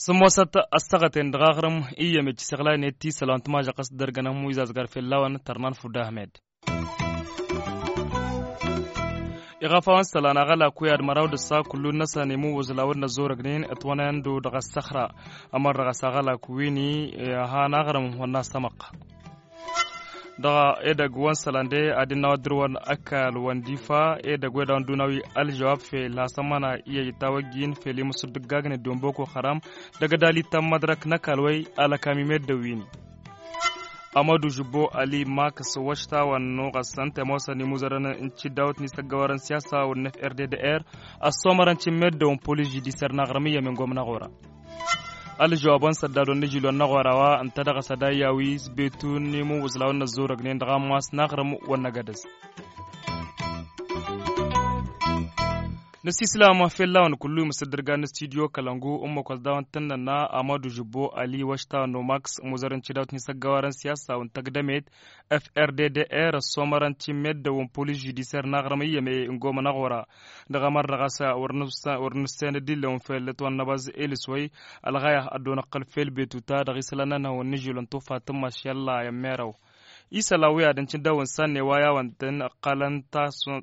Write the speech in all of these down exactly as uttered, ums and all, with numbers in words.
Sǝmmosăt ăssăɣăten dăɣ-aɣrǝm iyyăm ecc isăɣlaynet isălan tǝmažăɣ s-dărgăn ămmu izazgar fell-a-wen tărnan fudda ahmed. Iɣăf a-wen isălan aɣălak wi ad-măraw d-ăssa kullu-năsăn imuwwǝẓ la wăr năzzorăgnen ătwănăyăn-dd dăɣ-ăssăxra. Ămăr dăɣ-s aɣălak wi-ni, han aɣrǝm wănna s-amăqqa. Dăɣ-edăgg wa n-isălan de ad-innă wa dd-dăr-wăn ăkall wa n-difa edăgg wa d-a-wa n-dunawi ălžăwab fel hasămăna iyyăj tawăjjin fel imǝsǝddǝggagnen d-iwăn boko haram. Dăgg-ădal ittăn mădrăk n-ăkall wa-i alăkam i-meddǝn wi-ni. Amădu žǝbbo ali makǝs wăšta wa n-nuɣăs ǝnta i-ămoosăn imuzărăn n-tiddawt n-isăggăwarăn siyasa wa n-f r d d r. Ăssomărăn ti n-meddǝn wa n-polis židisăr n-aɣrǝm iyyăm ingom n-aɣora. Ălžăwab wa n-săddad wa n-ižil wa n-aɣora wa ǝnta dăɣ-s ad-ayya wi s-betu n-imuwwǝẓ la wăr năzzorăgnen dăɣ-ammas n-aɣrǝm wa n-năgădăz. Năssislam fell-a-wen kullu imǝsǝddǝrgan n-studyo kălăngu ǝmmǝk wa s-dawăn tǝnnănna amadu žǝbbo ali wăšta wa n-omaks muzărăn tidawt n-isăggăwarăn siyasa wa n-tăgdămet f r d d r ăssomărăn ti n-meddǝn wa n-polis židisăr n-aɣrǝm iyyăm i-ingomăn aɣora. Dăɣ-amăr dăɣ-s wăr nǝssen d-illăwăn fel ătwănnăbăẓ elǝs wa-i ălɣaya ăddoon ăqqăl fel betu ta dăɣ-isălan n-ănhăwăn n-ižilăn tufa tǝmmas i-ălla i-ămmerăw. Isălan wi ad-ǝncǝn dăɣ-wăn sanne wa i-a-wăn tăn-ăqqalăn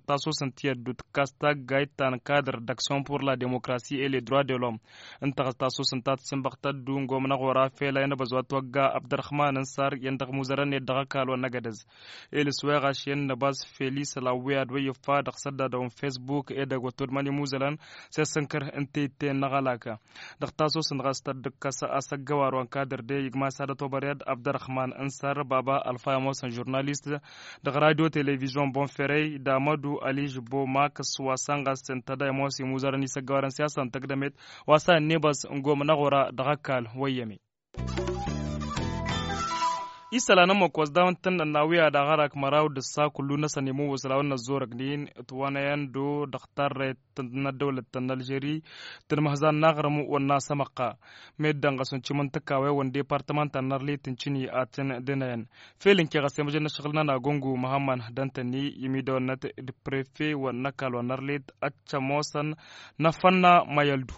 tasos n-tiyyăt d-utǝkkas taggayt ta n-kadr d-aksyon pur la demokrasi et le droit de l'homme. Ǝnta ɣas tasos n-ta tǝssinbăɣ tăddu n-gomna ɣur-a fel a inăbăẓ wa t-wăgga abdărăxman n-sar iyyăn dăɣ-imuzărăn-net dăɣ-ăkall wa n-năgădăz. Elǝs wa iɣašen năbaz fel isălan wi ad-wăyyăfa dăɣ-săddadăw n-fesbuk edăgg wa t-oddămăn imuzălăn s-e-sǝnkăr ǝnta itte n-aɣălak. Dăɣ-tasos n-ɣas tăddǝkkăs asăggăwar wa n-kadr de igmas ad-ătobăr i-ad abdărăxman n-sar baba ălfa i-ămoosăn žurnalist dăɣ-radyo televizyon bonferey d-amădu ăližbbo makǝs wa s-ănɣas ǝnta da i-ămoos imuzărăn isăggăwarăn siyasa n-tăgdămet wa s-a ǝnnebăẓ n-gomna ɣur-a dăɣ-ăkall wăyyăme. Isălan ămmăk wa s-dawăn tăn-nănna wi ad-aɣărak măraw d-ǝssa kullu-năsăn imuwwǝẓ la wăr năzzorăgnen ǝtwănăyăn-dd-o dăɣ-tarret n-ăddăwlăt ta n-alžeri. Tǝnmăhzan n-aɣrǝm wănna s-amăqqa meddǝn ɣas uncǝm n-tǝkawewăn departămănta n-arlit n-cǝni ad-tăn-dănăyăn. Fel ǝnke ɣas i-măjăn n-ašăɣǝl-nănăɣ gongu măhămmăn d-antănni imidăwănnăt d-prefe wa n-ăkall wa n-arlit ad-t-ămoosăn n-afănna mayăldu.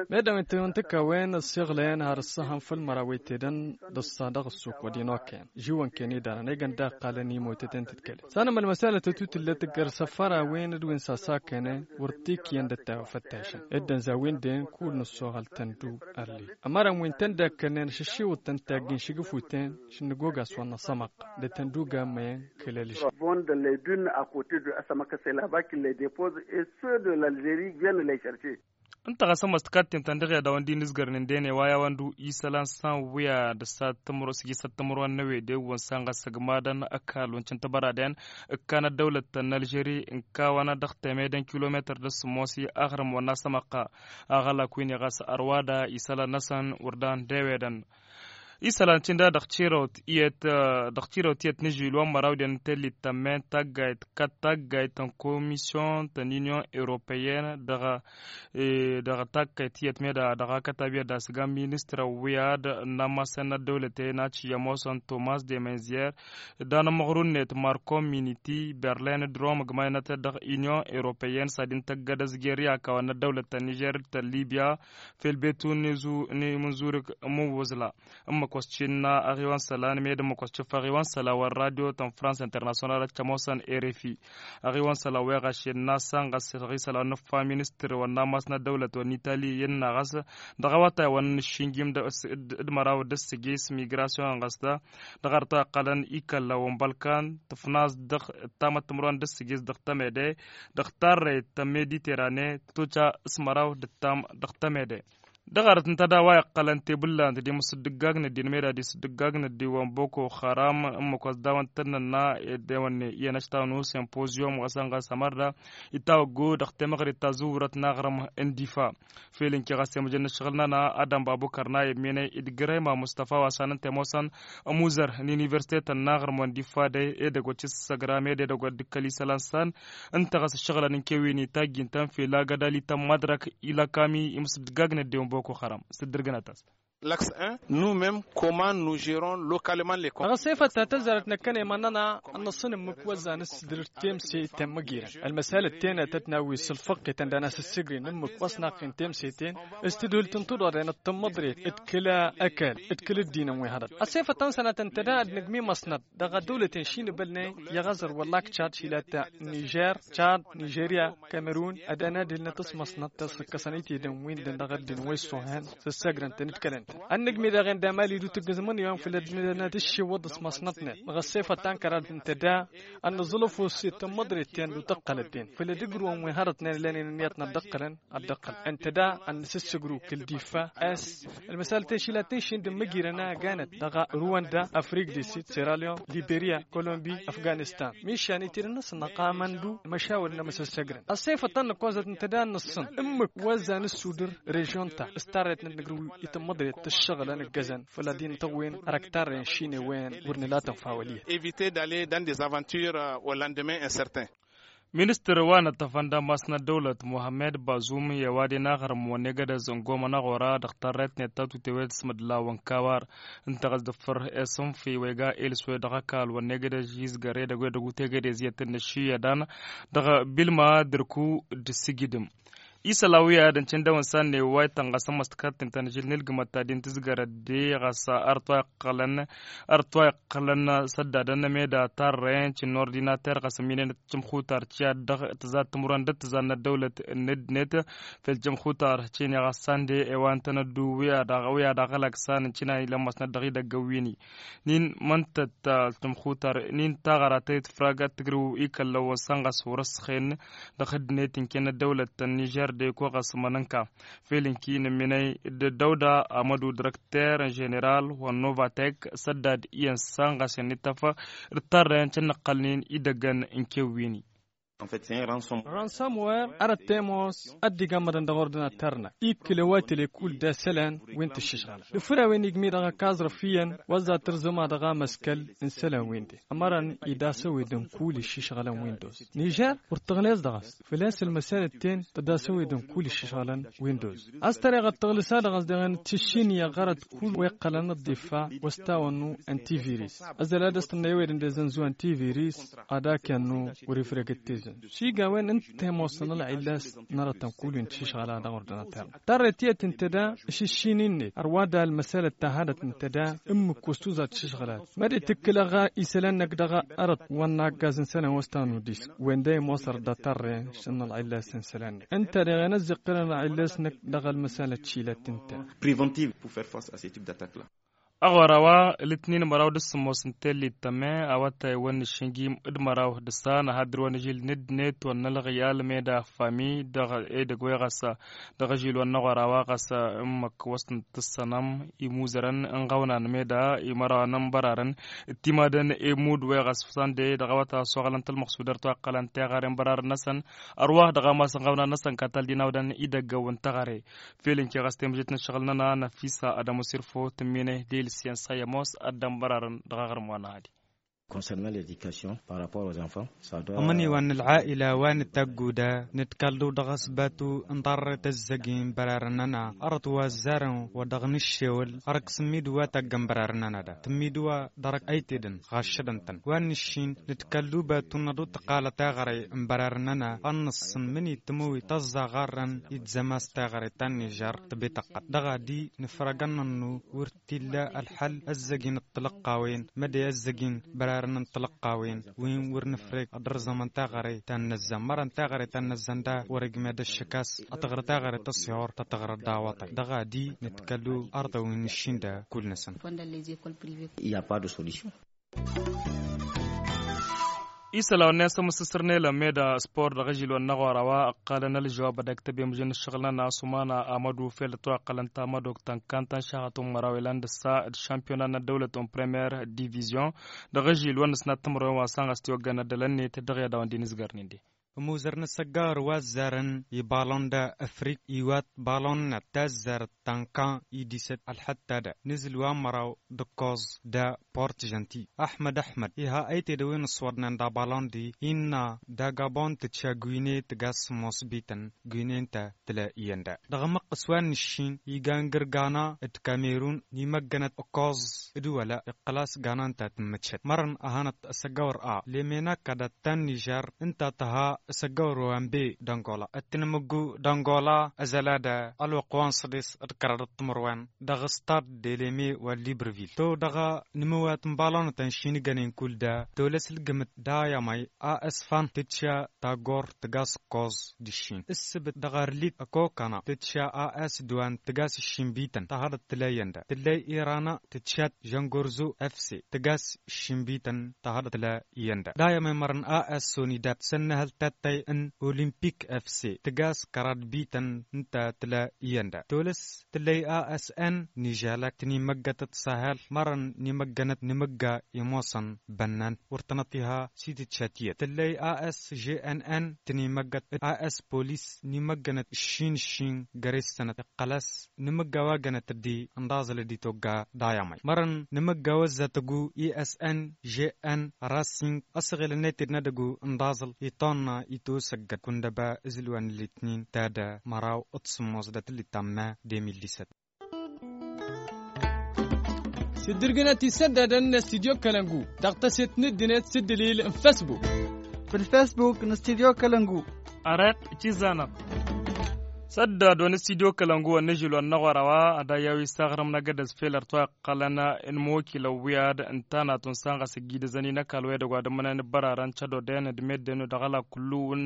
Meddǝn wi t-tǝwǝn tǝkkawen ăssiɣlăyăn har ǝssăhăn făll-măraw wa itedăn d-ăṣṣa dăɣ-ăssuk wa d-inokăyăn žiwăn-ken idanăn egăn d-a ăqqalăn imotăten tǝdkăle s-anăm ălmăsalăt ătutǝllăt tǝggăr săfăra-wen d-wi n-sasakănen wăr t-ikyăn d-ăttay wa făttayšăn dd-ănza wi n-den kud nǝssoɣăl tăndu. Ălli ămărăn wi n-tăn-dd-ăkkănen ašăššiwăḍ-tăn tagg inšǝgǝfuten šǝnnǝgoga s-wănna s-amăqqa d-tăn-dd-uga n-măyăn kăl-ălžăw. Bond de lăydun akote de asămăkăse laba kǝllăy depoz et ceux de l'alžeri gven lăy šărše. Ǝnta ɣas ămoos tǝkattintăn dăɣ-i ad-a-wăn dd-inǝzgărnen d-ene wa i-a-wăn-du isălan s-a n-wi ad-ăssat tǝmro s-ijǝsăt tǝmro ănnăwede wănsan ɣas ăgmadăn ăkall wa n-cǝntăbăraden ǝkkan ăddăwlăt ta n-alžeri ǝnkawăn dăɣ-temede n-kilometăr d-ăsǝmmosi aɣrǝm wănna s-amăqqa. Aɣălak wi-ni ɣas ărwada isălan-năsăn wăr dan d-ewedăn. Isălan cǝnda dăɣ-tirăwt iyyăt dăɣ-tirăwt iyyăt n-ižil wa n-măraw d-ennăt tellit tămmen taggayt kat taggayt n-komisyon ta n-inyon europeyyen dăɣ-taggayt iyyăt meda dăɣ-akătab iyyăt d-asǝga n-ministrăn wi ad-nammasăn n-ăddăwlăten ad-t-iyyămoosăn tomas de menziyer. Dan-ămmăɣru-net marko miniti berlin d-rom ǝgmaynăt dăɣ-inyon europeyyen s-ad-intăggăd ăzger i-akawăn n-ăddăwlăt ta n-nižer d-ta n-libya. Fel betu n-imǝnzurǝk n-imǝnwǝẓla ǝmmǝk wa s-tinna aɣiwăn isălan med ǝmmǝk wa s-tǝffa aɣiwăn isălan wa n-radyo ta n-frans internasyonal ad-t-ămoosăn erefi. Aɣiwăn isălan wa iɣašen n-asăn ɣas isălan wa n-ǝffa ministăr wa n-ammas n-ăddăwlăt wa n-itali innă ɣas dăɣ-awătay wa n-ǝššǝnjim d-măraw d-ǝssǝjis migrasyon ɣas da dăɣ-arăt wa iqqălăn ikălla wa n-bălkan tǝfnas dăɣ-ǝttamăt timǝrwen d-ǝssǝjis dăɣ-temede dăɣ-tarrăyt ta n-mediterane tătoca s-măraw d-ǝttam dăɣ-temede. Dăɣ-arăt ǝnta da wa iqqălăn tebǝllant d-imǝsǝddǝggagn ăddin meda d-isǝddǝggagn ăddin wa n-boko haram ǝmmǝk wa s-dawăn tăn-nănna ed ewănne iyyăn ăštawăn u-simpozyum ɣas ănɣas ămărda itawăggu dăɣ-temăɣrit ta zǝwwărăt n-aɣrǝm n-difa. Fel ǝnke ɣas i-măjăn n-ǝššăɣǝl-nănăɣ adam babu kărna i-ămminăy d-grăyma mustafa wa s-anăn temoosăn ămuzăr n-universitetăn n-aɣrǝm wa n-difa d-edăgg wa t-issăsăgra med edăgg wa dd-kăl-isălan s-an. Ǝnta ɣas ǝššăɣǝlăn n-kewǝyni tajjǝn-tăn fel agădal itămmădrăk ilăkami imǝsǝddǝggagn ăddin wa n-boko haram s-dd-ǝrgǝnăt-as. Lăks-en nu-mem koman nu žeron lokalman lekon. Dăɣ-ăssefăt ta tăzzarăt năkkăne mănnăna ănnăṣṣăn ǝmmǝk wăzzan s-dăr-temse temmăgirăn. Ălmăsalăt tenătăt n-awis ǝlfăqqetăn d-anăsăssegren ǝmmǝk wăsnaqen temseten s-tǝdhǝlt n-tuḍaḍen d-tămmăḍret d-kăl-ăkall d-kăl-ăddinăn wi hărăt. Ăssefăt ta n-sănatăn tăda ad-nǝgmi măsnăt dăɣ-ăddăwlăten šinǝbălnen i-aɣăẓăr wălla akčad šila ta nižer, čad, nižerya, kamerun ad-anadǝlnăt s-măsnăt ta s-ǝkkăsăn itedăn-win-dăn dăɣ-ăddin wa issohen s-ǝssăgrăn-tăn d-kălăn-tăn. Ănnăgmi daɣ-en d-amali d-utǝggǝz mănniwen făll-ăddinăt d-iššǝwwăḍ s-măsnătnen dăɣ-ăssefăt ta n-kăraḍ n-tăda ad-nǝẓǝlăf osset tămmăḍret-ten d-utăqqălăt-ten făll-ad-ǝgrǝwăn wi hărătnen ǝllan-en ǝnniyăt n-ad-dd-ăqqălăn ad-dd-ăqqălăn ǝnta da ad-nǝsǝssǝgrǝw kăl-difa. S-ălmăsalăt i-šila tǝnšin d-ǝmmǝjirăn a ganăt dăɣ-ruwanda afrik di sid sera leon liberya kolombi afganistan mišan itedăn-năsăn ăqamăn-du măšawăl n-amăsăssăgrăn. Ăṣṣefăt ta n-năkkoẓăt ǝnta da ad-nǝṣṣăn ǝmmǝk wa ăzzan ǝssudǝr režion-ta s-tarrăyăt n-ad-nǝgrǝw i-tămmăḍret tǝššăɣǝlăn ǝggăzăn făll-ad-inǝtăwwen ărăk tarrăyăn šine-wen wăr nǝla tănfa wăl' iyyăt. Eviter d'aller dans des aventures au lendemain incertain. Ministăr wa n-ăṭṭăfăn d-amasnăt dăwlăt muhammed bazum i-ăwadǝy n-aɣrǝm wănnegădăz n-gomăn aɣora dăɣ-tarrăyăt n-ettătute wed s-mădla wănkawar ǝnta ɣas dăffăr i-sǝnfi wa iga ilswe dăɣ-ăkall wănnegădăz izgăr edăgg wa edăgg utegădez i-ad-tăn-năššǝyyădan dăɣ-bilma dărku d-sǝjǝdǝm. Isălan wi ad-ǝncǝn dăw-ǝnsan n-ewway tănɣăsăn măstăkăt ǝnta n-ažǝl n-ilgǝmăt ta din tǝzgărăt de ɣas ărăt wa iqqălăn ărăt wa iqqălăn săddadăn meda tarrăyăn cǝnn ordinater ɣas ămminenăt tǝmxutar tiyyăt dăɣ-tǝza timǝrwen d-tǝzannăt dăwlăt n-ăddinăt fel tǝmxutar cǝnne ɣas sande i-wa ǝntănăt du wi ad-aɣălak san n-cǝnna ilămmăsnăt dăɣ-idăgg ăwwin-i. Nin măntăt tǝmxutar nin taɣăra tăyăt fragat tǝgrǝw ikăllăwăn săn ɣas wăr-ăssăxen dăɣ-ăddinăt ǝnken ăddăwlăt n-nižer d-eko ɣas mănănka fel ǝnki n-ǝmminăy d-dăwda amădu dăr-ăkter n-ženeral wa n-novatek săddad iyyăn săn ɣas i-ănnităf d-tarrăyăn cănnăqqălnen idăggăn n-kewwin-i. Ransomware ărăt temos ăddigammădăn dăɣ-ordinater-năk ikkǝl ăwatele kull d-asălan wi n-tǝššǝšɣălăn d-făr a-wen igmi dăɣ-ăkkaẓrăf iyyăn wăzza tǝrzǝma dăɣ-amăskăl n-isălan-win-de ămărăn idasăwedăn kull iššǝšɣălăn windos nižer wăr tăɣlez dăɣ-s făl-a-s ălmăsalăt-ten tădasăwedăn kull iššǝšɣălăn windos a-s tăreɣăt tăɣlǝsa dăɣ-s dăɣ-en tǝššin i-aɣărăt kull wa iqqălăn ăḍḍiffa wa s-tawănnu n-tiviris ăzzăl ad-ăstănna i-ewedăn d-ezănzu n-tiviris ad-ak i-ănnu wăr-ifreg d-tezănzu s-iga a-wen ǝnta imossăn ălɣillas n-arătăn kull wi n-tiššăɣla dăɣ-ordinater. Tarret iyyăt ǝnta da ašǝššin-net ărwa da ălmăsalăt ta hadăt ǝnta da ǝmmǝk wa s-tuzat tiššăɣla măd-itǝkkǝl aɣa isălan-năk dăɣ-arăt wa n-aggaz n-isălan wa s-tannu disk wen da imossăr da tarre šăn ălɣillas n-isălan-năk ǝnta deɣen ăzziqqǝlăn ălɣillas-năk dăɣ-ălmăsalăt šilăt ǝnta. Preventive pour faire face à ce type d'attaque la. Aɣora wa lǝtnin măraw d-sǝmmos n-tellit tămme awătay wăn n-išǝnjim d-măraw d-ǝssan ahadăr wăn ažil n-ǝddǝnet wăn n-ălɣiyal meda fami dăɣ-edăgg wa iɣăsa dăɣ-ažil wăn n-aɣora wa ɣas ǝmmăk wăsnăt tǝssănăm imuzărăn n-iɣăwnan meda imăraw a n-ănbărarăn d-timadăn imud wa iɣăs sănde dăɣ-awătay ăssoɣălăn tălmăɣsudăr toaqqălăn teɣăre n-bărarăn-năsăn ărwax dăɣ-amas n-iɣăwnan-năsăn katal d-inawdăn idăgg-awăn teɣăre. Fel ǝnke ɣas temǝžet n-ǝššăɣǝl-nănăɣ năfisa ad-ămoos irfo tǝmmine d-ilǝsyen s-a i-ămoos ad-dd-ănbărarăn dăɣ-aɣrǝm wa n-ahadi. Concernant l'éducation par rapport aux enfants. Ămăniwan n-ălɣaila wa nǝtagguda nǝdkăldu dăɣ-asbatu n-tarret ăzzăgin bărarăn-nănăɣ ărăt wa ăzzarăn wa dăɣ-nǝššewăl ărăk sǝmmidǝw wa taggăn bărarăn-nănăɣ da tǝmmidǝw wa dăr-ăytedăn ɣaššădăn-tăn wa nǝššin nǝdkăldu batu n-ad-utăqalăt aɣrăy n-bărarăn-nănăɣ ad-nǝṣṣǝn mǝnitǝmǝwi tăẓẓaɣarrăn idzămas taɣrăy ta n-nižăr tǝbităqqăt dăɣ-ad-i nǝfrăgăn n-ănnu wăr t-illa ălxăl ăzzăgin d-tilăqqawen mădde ăzzăgin bărarăn n-tilăqqawen wi n-wăr nǝfreg ad-ărẓămăn taɣrăy ta n-năzzan mărăn taɣrăy ta n-năzzan da wăr-ăjmed ăššăk a-s ad-tăɣrǝd taɣrăy tăṣṣihor ta tăɣrǝd d-awăṭay dăɣ-ad-i nǝtkălu arḍăw n-iššin da kull-năsăn. Isălan wa n-e-sămǝssǝsrǝn elămmeda spor dăɣ-ažil wa n-aɣora wa ǝqqalăn ălžăwab ad-ăktăb i-mǝžăn ǝššăɣǝl-nănăɣ s-umana amădu fel ătwăqqălăn tamădokt ta n-kantăn šaxăt n-măraw ilan d-ǝssa d-šampiyona n-ăddăwlăt n-premiyer divizyon dăɣ-ažil wa n-ǝsnat timǝrwen wa s-anɣăs tiwăggan ăddălăn-net dăɣ-i ad-dawăn-dd-inǝzgărnen de. Ămuzăr n-asăggawăr wa ăzzarăn i-balon da afrik iwat balon n-ad-tazzarăt tankan idisăt ălxătta da nǝzǝl wa n-măraw d-ǝkkoẓ da port žănti. Ăxmăd ăxmăd iha ăytedăwen ǝṣṣwăḍnen d-abalon d-innă d-agabon tǝtša gwine tǝgas mosbităn gwine n-ta tǝla iyyăn da dăɣ-amăqqǝs wa n-nǝššin iga n-gǝrgana d-kamerun n-imăggănăt ǝkkoẓ d-wăla iqqăl-as gana ǝnta tǝmmǝtšăt mărăn ăhănăt ăsăggawăr a lemena kada ta n-nižar ǝnta tǝha ăsăggawăr wa n-be d-angola ăttǝnmǝggu d-angola ăzăla da ălwăqq wa n-săḍes d-kăraḍăt timǝrwen dăɣ-stad d-eleme wa n-librevil to dăɣ-nǝmǝwat n-balonăt ănšin ǝggănen kull da tolăs ǝlgǝmǝt d-ayămay a s fan tǝtša tagor tǝgas ǝkkoẓ d-ǝššin ǝssǝbǝt dăɣ-arlit ăkokăna tǝtša a s dwan tǝgas ǝššin bităn tahăḍăt tǝla iyyăn da tǝllăy irana tǝtšat žăngorzo fc tǝgas ǝššin bităn tahăḍăt tǝla iyyăn da d-ayămay mărăn a s sonidab sănnăhăl tattay n-olimpik fc tǝgas kăraḍ bităn ǝnta tǝla iyyăn da tolăs tǝllăy a s n nižalak tǝnimăggătăt sahel mărăn n-imăggănăt n-imǝgga imosăn bănnan wăr tănăt iha s-itǝtšat iyyăt tǝllăy a s žnn tǝnimăggăt a s polis n-imăggănăt ǝššin ǝššin găre s-sănăt iqqăl-as n-imǝgga wa gănăt dd-inḍaẓăl d-itogga d-ayamay mărăn n-imǝgga wa ǝzzatăgu isn žnn rasing ăsɣel ănnăyted n-edăgu inḍaẓăl iṭonna itosăggăd kundăba ǝzǝl wa n-ǝlitnin ta d-măraw d-sǝmmos d-atǝllit tamma d-emil disăt. Sǝddǝrgǝnăt isăddadăn n-studyo kălăngu dăɣ-tăset n-ǝddǝnet s-ǝddǝlil n-fesbuk. Făll-fesbuk n-studyo kălăngu. Ărăt cizanăɣ. Săddad wa n-studyo kălăngu wa n-ažil wa n-aɣora wa ad-ayyaw isaɣrǝm n-agădăz fel ărtwa iqqălăn n-imokilăn wi ad-ǝntanat wa n-sanɣăs ǝggidăzăn-i n-ăkall wa edăgg wa d-ǝmmǝnăn ǝbbărarăn cădoden d-meddenu dăɣ-ăla kullu wa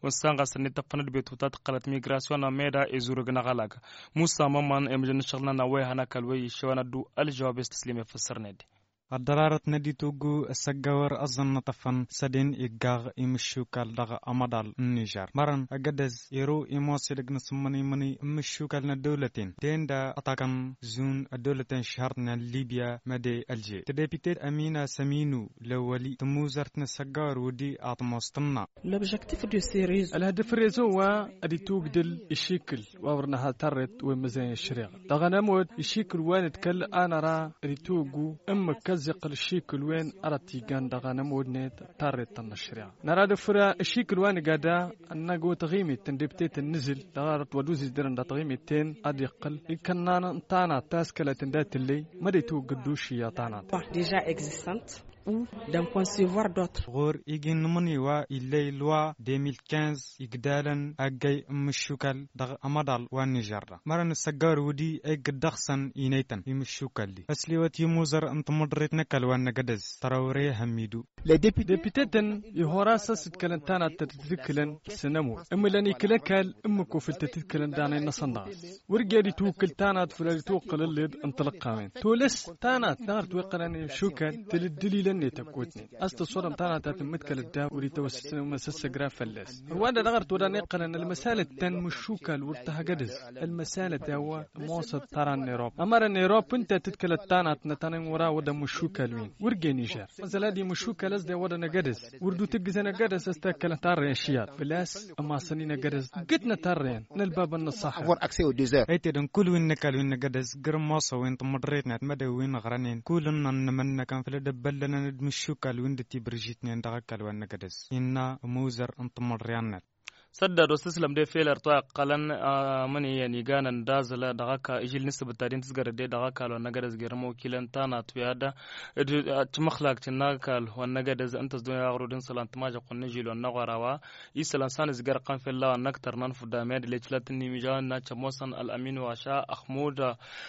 n-sanɣăs-net tăffăn d-betuta tǝqqălăt migrasyon ameda ezurǝg n-aɣălag. Musa mămăn i-mǝjăn n-ašăɣǝl-nănăɣ wa ihăn ăkall wa iššăwăn ad-dd-u ălžăwab i-s tăslim i-făssărned. Ăddărarăt n-ad-ituggu ăssăggawăr ăẓẓăn n-atăfăn săden iggaɣ imǝššukal dăɣ-amăḍal n-nižar mărăn agădăz ero imosedăg n-asǝmmăn imǝnǝy n-imǝššukal n-ăddăwlăten ten da ăṭṭakăn zun ăddăwlăten šhărtnen libya măde ălže tădepitet amina săminu lăwwăli tămuzărt n-ăssăggawăr wădi aṭmos tǝnna. Ălhădăf rezo wa ad-itugdǝl išikǝl wa wăr nǝha tarret wa imǝzăyăn ăššăreɣa dăɣ-anămod išikǝl wa nǝdkăl a năra ad-ituggu ǝmmǝk kăzziqqăl išikǝl wen ara t-igan dăɣ-anămod-net tarret tănna ăššăreɣa năra dăfăr išikǝl wa nǝga da ănnăgo taɣimit tăndebtet n-nǝzǝl dăɣ-arăt wa d-uzǝjdărăn dăɣ-taɣimit-ten ad-iqqăl ikănnan n-tanat taskălăt ǝnda tǝlley măd-itugdǝl d-ušǝyya tanat. Deja existant. Ɣur-igi n-imǝnǝy wa illăy lwa de mil kinz igdalăn aggăy n-imǝššukal dăɣ-amăḍal wa n-nižăr da mărăn ǝssăggawăr wǝdi a iggǝd dăɣ-săn inăytăn imǝššukal-di ăsliwăt i-imuzăr n-timǝḍrit n-ăkall wa n-năgădăz tărăwre hămmidu. Depitetăn ihor-as a-s ǝdkălăn tanat tăt-dd-ǝkǝlăn s-anămur ǝmmǝlăn ikǝl ăkall ǝmmǝk wa făl tăt-ǝdkǝlăn danăy-năsăn dăɣ-s wăr ged itwǝkkǝl tanat făl ad-itwǝqqǝl ǝlled n-tilǝqqawen tolăs tanat dăɣ-ărăt wa iqqălăn imǝššukal tǝlǝddǝlilăn-net ăkotnen a-s tăṣṣodăm tanat a tǝmmǝdkăl ăddaw wăr itawăssăsnăm asăssăgra fălla-s ărwanda dăɣ-ărăt wăr dan iqqălăn ălmăsalăt ta n-imǝššukal wăr tăhăgădăz ălmăsalăt a-wa ămoosăt tara n-erob ămărăn erob ǝnta tǝdkălăt tanat n-ad-tăn-in wăr-a wădăn imǝššukal-win wăr gen ižar măsăl ad-imǝššukal a-s de-wădăn agădăz wăr dd-utǝggǝzăn agădăz a-s takkălăn tarrăyăn šiyar făl-a-s ămasăn-in agădăz ǝggǝtnăt tarrăyăn n-ălbabăn n-ăṣṣaḥa. Ăytedăn kull wi n-ăkall wi n-agădăz gǝrǝm moosăwen timǝḍret n-ad-mădăw wi n-ăɣrănen kull ǝnnăn n-imǝnnăkăn făll-ăddăbbăllănăn d-imǝššukal wi n-dd-tibărjitnen dăɣ-ăkall wa n-agădăz innă ămuzăr n-timǝḍriyăn-net. Săddad wa s-tǝslăm de fel ărtwa iqqălăn amǝnǝyăn iganăn d-aẓǝl dăɣ-ăkall ižil n-ǝssǝbǝt ta din tǝzgărăt de dăɣ-ăkall wa n-agădăz gerăm okilăn tanat wi ad-da d-timǝxlakt n-ăkall wa n-agădăz ǝnta s-dun i-aɣrud n-isălan tǝmažăɣt wa n-ižil wa n-aɣora wa isălan s-anǝzgărăɣ-tăn fell-a-wa n-ăktăr n-anfudda miyad-ila iclăt n-imija n-ad-cămoosăn ălămin wa aša ăxmud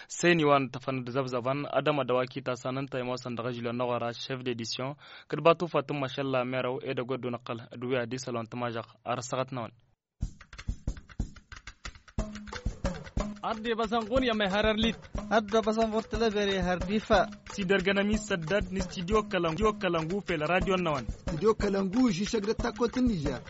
săyni wa n-tăfăn d-zăbzăbăn ad-ămădăw akita s-anăn ta imoosăn dăɣ-ižil wa n-aɣora šef d-edisyon kăd-batufa tǝmmăšălla merăw edăgg wa dd-unăqqăl d-wi ad-isăl wa n-tămažăɣt ar ăssăɣăt-năwăn. Ad-dd-ibăẓăn ɣur-i ămehăr ărlit. Ad-dd-ibăẓăn ɣur-tălăbere hărdifa. S-idărgăn ămi s-săddad n-studyo kălăngu fel radyo-năwăn. Studyo kălăngu žisăg d-ăttakot n-nižer.